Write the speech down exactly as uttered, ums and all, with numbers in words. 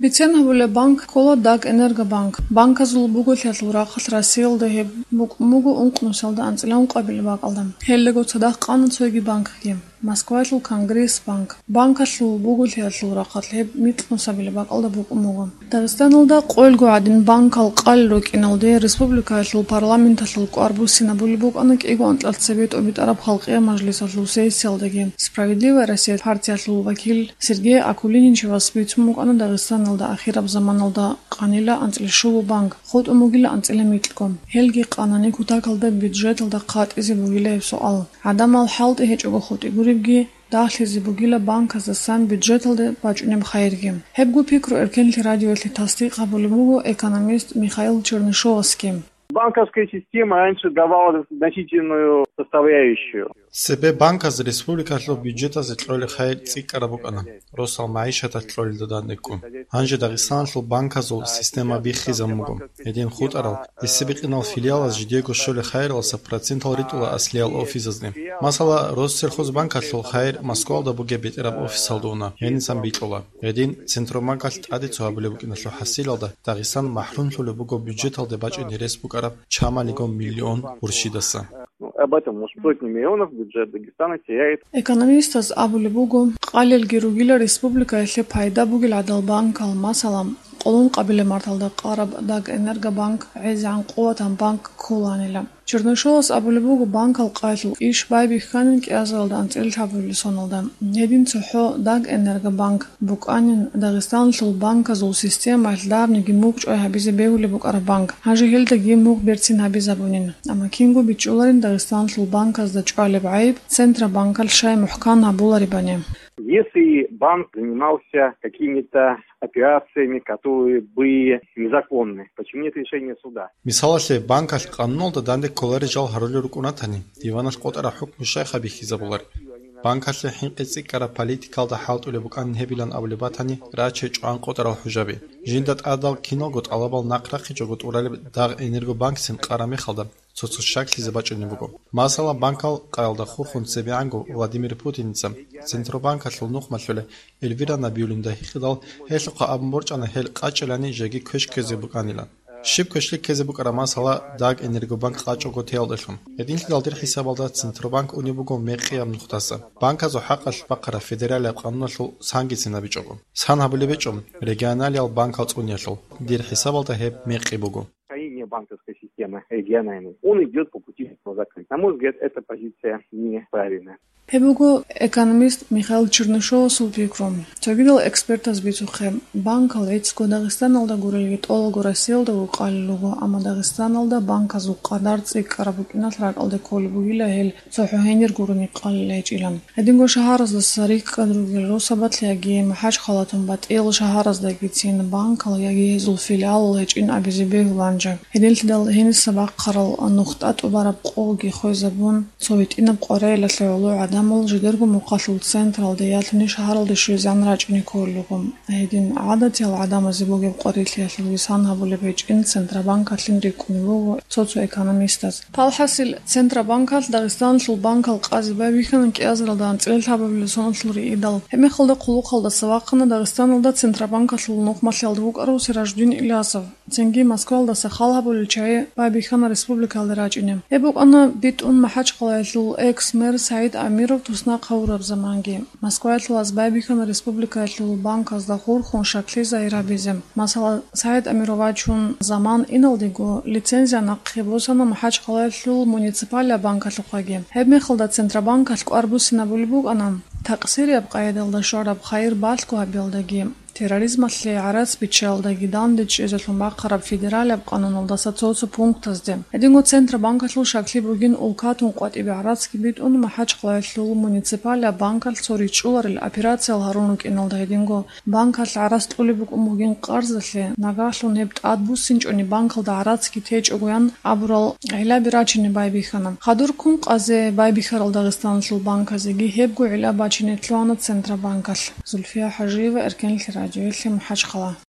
Бицен гьабулеб банк ккола Дагэнергобанк. Банказул буголъиялъул рахъалъ Россиялда гьеб букӀун буго ункънусиялда анцӀила ункъабилеб бакӀалда. Гьелдаго цадахъ къана цоги банкги. Москваялъул Конгресс банк. Банкалъул буголъиялъул рахъалъ гьеб микьнусабилеб бакӀалда букӀун буго. Дагъистаналда къоялго гӀадин банкал къалел рукӀиналде республикаялъул парламенталъул кӀвар буссинабулеб букӀана кӀиго анкьалъ цебе тӀобитӀараб халкъиял мажлисалъул сессиялдаги. «Справедливая Россия» партиялъул вакил Сергей Акулиничевас бицун букӀана Дагъистаналда ахираб заманалда къанила анцӀила щуго банк, хутӀун бугила анцӀила микьго. Гьелги къанани кутакалда бюджеталда хъатӀизе бугила гьеб суал. ГӀадамал хӀалтӀи гьечӀого хутӀи гуребги, дагьлъизе бугила банказасан бюджеталде бачӀунеб хайирги. Гьебго пикру Эркенлъи радиоялъе тасдикъ гьабулеб буго экономист Михаил Чернышовасги. Банковская система раньше давала значительную составляющую. Цебе банказ республикалъул бюджетазе кьолеб хайир цӀикӀкӀараб букӀана, росал магӀишаталъ кьолелда дандеккун. Гьанже Дагъистаналъул банказул система биххизабун буго. Гьедин хутӀарал, гьесие бикъинал филиалаз жидего щолеб хайиралдаса процентал ритӀула аслиял офисазде. Масала, Россельхозбанкалъул хайир Москвалда бугеб бетӀераб офисалда уна, гьенисан бикьула. Гьедин Центробанкалъ тӀаде цо гьабулеб букӀиналъул хӀасилалда Дагъистан махӀрумлъулеб буго бюджеталде бачӀине рес букӀараб чамалигун миллион гурщидаса. Ну, об этом уж сотни миллионов бюджет Дагестана теряет. Экономистаз абулеб буго, къалелги ругила республикаялъе пайда бугел гӀадал банкал, масала, къоло ункъабилеб марталда къараб Дагэнергобанк гӀезегӀан къуватан банк кколанила. Чернышовас абулеб буго, банкал къайилъул иш байбихьанин кӀиазаралда анцӀила лъабабилеб соналда. Гьедин цохӀо Дагэнергобанк букӀанин Дагъистаналъул банказул системаялъ давниги мугъ чӀвай гьабизе бегьулеб букӀараб банк. Гьанже гьелдаги мугъ берцин гьабизабунин. Амма кинго бичӀчӀуларин Дагъистаналъул банказда чӀвалеб гӀайиб Центробанкалъ щай мухӀкан гьабуларебани. Если банк занимался какими-то операциями, которые были незаконны, почему нет решения суда? Мисалалъе, банкалъ къануналда данде кколарел жал гьарулел рукӀун ратани, диваналъ къотӀараб хӀукму щай хабихьизабулареб? Банкалъе хӀинкъи цӀикӀкӀараб политикалда хӀалтӀулеб букӀанин гьебилан абулеб батани, раче чӀван къотӀарал хӀужаби. Жинда тӀадал киналго тӀалабал нахърахъичӀого тӀуралеб Дагъэнергобанкцин къараб мехалда цо-цо щаклъизе бачӀунеб буго. Масала, банкал къаялда хурхун цебегӀанго Владимир Путиница Центробанкалъул нухмалъула Эльвира Набиуллинада гьикъидал, гьелъухъа абун борчӀана гьел къачӀилани жеги квеш ккезе букӀанилан. Щиб квешлъи ккезе букӀараб, масала, Дагэнергобанк къачӀого теялдалъун. Гьединлъидал дир хӀисабалда Центробанк унеб буго мекъияб нухдаса, банказул хӀакъалъ бахъараб федералияб къануналъул сангицин абичӀого. Сан гьабулеб гьечӀо регионалиял банкал цӀуниялъул, дир хӀисабалда гьеб мекъи буго. Строение банковской системы региональной, он идет по пути закрыть. На мой взгляд, эта позиция неправильная. Гьеб буго экономист Михаил Чернышовасул пикру. Цогидал экспертаз бицухъе, банкал гӀицӀго Дагъистаналда гурелги тӀолго Россиялдаго къалел руго, амма Дагъистаналда банказул къадар цӀикӀкӀараб букӀиналъ ракӀалде кколеб бугила гьел цохӀо гьенир гурони къалел гьечӀилан. Гьединго шагьараздаса рикӀкӀад ругел росабалъ яги МахӀачхъалатун батӀиял шагьараздагицин банкал яги гьезул филиалал гьечӀин абизе бегьуланчӀа. Гьединлъидал гьениса бахъарал нухда тӀубараб къоги хвезабун, цо гьитӀинаб къваригӀелалъе гӀоло гӀадамал жидерго мухъалъул централде ялъуни шагьаралде щвезегӀан рачӀине кколелъул. Гьедин гӀадатиял гӀадамазе бугеб къварилъиялъулги сан гьабулеб гьечӀин Центробанкалъин рикӀкӀунеб буго цо-цо экономистаз. Палхасил, Центробанкалъ Дагъистаналъул банкал къазе байбихьана кӀиазаралда анцӀила лъабабилеб соналъул риидал. Гьебмехалда хъулухъалдаса вахъана Дагъистаналда Центробанкалъул нухмалъиялда вукӀарав Сираждин Илясов. Цинги Москвалдаса хал гьабулел чагӀи байбихьана республикалде рачӀине. Гьеб букӀана битӀун МахӀачхъалаялъул экс-мэр СагӀид Амиров туснахъ гьавураб заманги. Москваялъулаз байбихьана республикаялъул банказда хурхун щаклъизайи гьабизе. Масала, СагӀид Амиров вачун заман иналдего лицензия нахъе босана МахӀачхъалаялъул муниципалияб банкалъухъаги. Гьебмехалда Центробанкалъ кӀвар буссинабулеб букӀана такъсирияб къайдалда щвараб хайир балъго гьабиялдаги, терроризмалъе гӀарац биччаялдаги данде чӀезелъун бахъараб федералияб къануналдаса цо-цо пунктазде. Гьединго Центробанкалъул щаклъи бугин улкатун къватӀибе гӀарацги битӀун, МахӀачхъалаялъул муниципалияб банкалъ цо ричӀчӀуларел операциял гьарун рукӀиналда гьединго банкалъ гӀарац кьулеб букӀун бугин къарзалъе, нагагьлъун гьеб тӀадбуссинчӀони банкалда гӀарацги течӀогоян абурал гӀиллаби рачине байбихьана. Хадур ккун къазе байбихьарал Дагъистаналъул банказеги гьебго гӀилла бачине лъугьана Центробанкалъ. Зульфия ХӀажиева, Эркенлъи радиоялъе, МахӀачхъала.